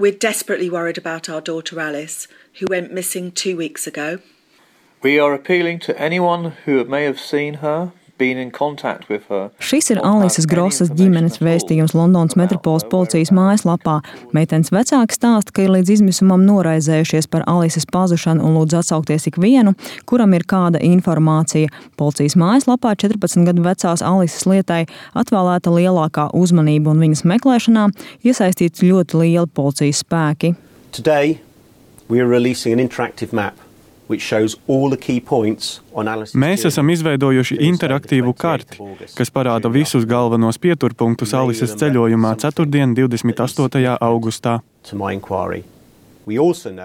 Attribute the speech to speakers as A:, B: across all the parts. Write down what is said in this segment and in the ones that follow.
A: We're desperately worried about our daughter Alice, who went missing 2 weeks ago.
B: We are appealing to anyone who may have seen her, been in contact with her.
C: Šis ir Alises Grosas ģimenes vēstījums Londonas metropoles policijas mājaslapā. Meitenes vecāki stāsta, ka ir līdz izmisumam noraizējušies par Alises pazušanu un lūdz atsaukties ikvienu, kuram ir kāda informācija. Policijas mājaslapā 14 gadu vecās Alises lietai atvēlēta lielākā uzmanība un viņas meklēšanā iesaistīts ļoti lieli policijas spēki.
D: Today we are releasing an interactive map.
E: Mēs esam izveidojuši interaktīvu karti, kas parāda visus galvenos pieturpunktus Alises ceļojumā ceturtdien, 28. augustā.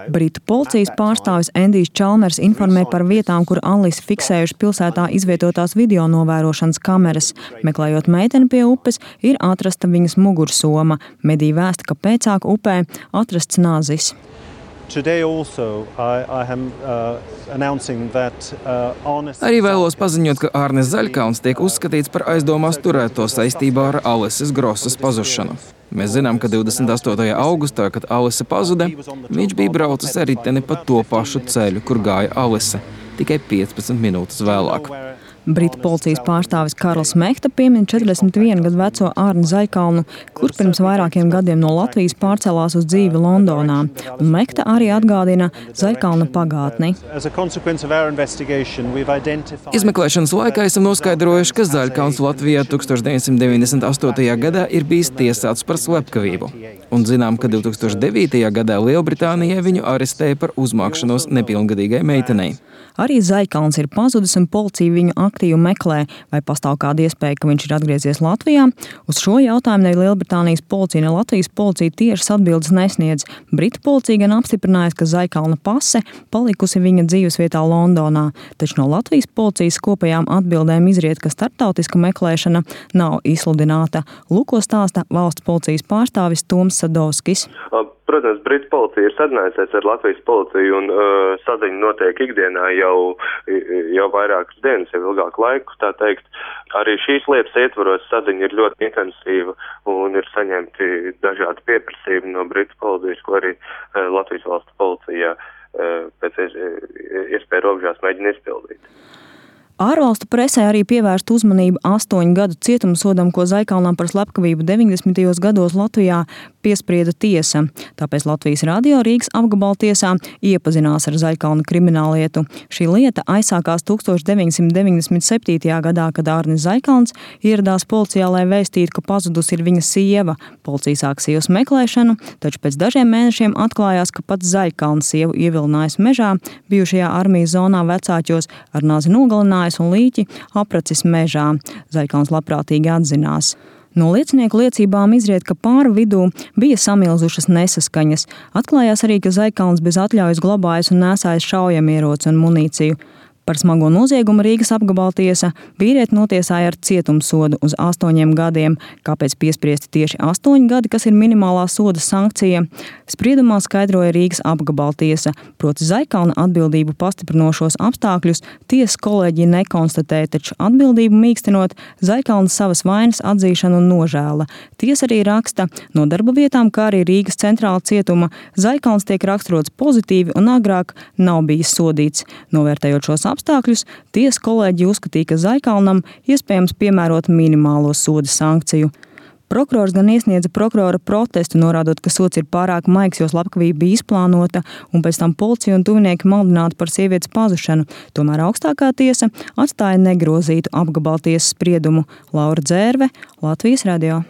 C: Britu policijas pārstāvis Endijs Čalmers informē par vietām, kur Alisi fiksējuši pilsētā izvietotās video novērošanas kameras. Meklējot meiteni pie upes, ir atrasta viņas mugursoma. Mediji vēsta, ka pēcāk upē atrasts nazis.
F: Arī vēlos paziņot, ka Ārnes Zaļkalns tiek uzskatīts par aizdomās turēto saistībā ar Alises Grosas pazušanu. Mēs zinām, ka 28. augustā, kad Alise pazuda, viņš bija braucis ar riteni pa to pašu ceļu, kur gāja Alise, tikai 15 minūtes vēlāk.
C: Britu policijas pārstāvis Karls Mehta piemin 41 gadu veco Ārni Zaļkalnu, kur pirms vairākiem gadiem no Latvijas pārcēlās uz dzīvi Londonā. Un Mehta arī atgādina Zaļkalna pagātni.
F: Izmeklēšanas laikā esam noskaidrojuši, ka Zaļkalns Latvijā 1998. gadā ir bijis tiesāts par slepkavību. Un zinām, ka 2009. gadā Lielbritānijā viņu arestēja par uzmākšanos nepilngadīgai meitenei.
C: Arī Zaļkalns ir pazudis un policija viņu aktīvi meklē, vai pastāv kāda iespēja, ka viņš ir atgriezies Latvijā. Uz šo jautājumu ne Lielbritānijas policija, ne Latvijas policija tiešas atbildes nesniedz. Britu policija gan apstiprinājusi, ka Zaļkalna pase palikusi viņa dzīvesvietā Londonā, taču no Latvijas policijas kopējām atbildēm izriet, ka starptautiska meklēšana nav izsludināta. Lūko stāsta valsts policijas pārstāvis Toms Sadovskis.
G: Protams, Britu policija ir sadarbinājusies ar Latvijas policiju un saziņa notiek ikdienā jau vairākas dienas, jau ilgāku laiku, tā teikt. Arī šīs lietas ietvaros saziņa ir ļoti intensīva un ir saņemti dažādi pieprasījumi no Britu policijas, ko arī Latvijas valsts policijā pēc iespēja robežās mēģina izpildīt.
C: Ārvalstu presē arī pievērst uzmanību 8 gadu cietumsodam, ko Zaļkalnam par slepkavību 90. gados Latvijā piesprieda tiesa. Tāpēc Latvijas radio Rīgas apgabaltiesā iepazinās ar Zaļkalna krimināllietu. Šī lieta aizsākās 1997. gadā, kad Ārnis Zaļkalns ieradās policijā, lai vēstītu, ka pazudusi ir viņa sieva. Policija sāk sievas meklēšanu, taču pēc dažiem mēnešiem atklājās, ka pats Zaļkalns sievu ievilinājis mežā, bijušajā armijas zonā Vecāķos, ar nazi nogalinājis un līķi apracis mežā. Zaļkalns labprātīgi atzinās. No liecinieku liecībām izriet, ka pāru vidū bija samilzušas nesaskaņas. Atklājās arī, ka Zaļkalns bez atļaujas glabājis un nēsājis šaujamieroci un munīciju. Par smago noziegumu Rīgas apgabaltiesa vīrieti notiesāja ar cietumsodu uz 8 gadiem. Kāpēc piespriesti tieši 8 gadi, kas ir minimālā soda sankcija? Spriedumā skaidroja Rīgas apgabaltiesa, proti Zaļkalna atbildību pastiprinošos apstākļus tiesas kolēģija nekonstatēja, taču atbildību mīkstinot Zaļkalna savas vainas atzīšanu un nožēla. Tiesa arī raksta, no darba vietām, kā arī Rīgas centrāla cietuma, Zaļkalns tiek raksturots pozitīvi un agrāk nav bijis sodīts. Novērtējot šos apstākļus, tiesa kolēģi uzskatīja, ka Zaļkalnam iespējams piemērot minimālo soda sankciju. Prokurors gan iesniedza prokurora protestu, norādot, ka sods ir pārāk maigs, jo slepkavība bija izplānota un pēc tam policija un tuvinieki maldināti par sievietes pazušanu. Tomēr augstākā tiesa atstāja negrozītu apgabaltiesas spriedumu. Laura Dzērve, Latvijas radio.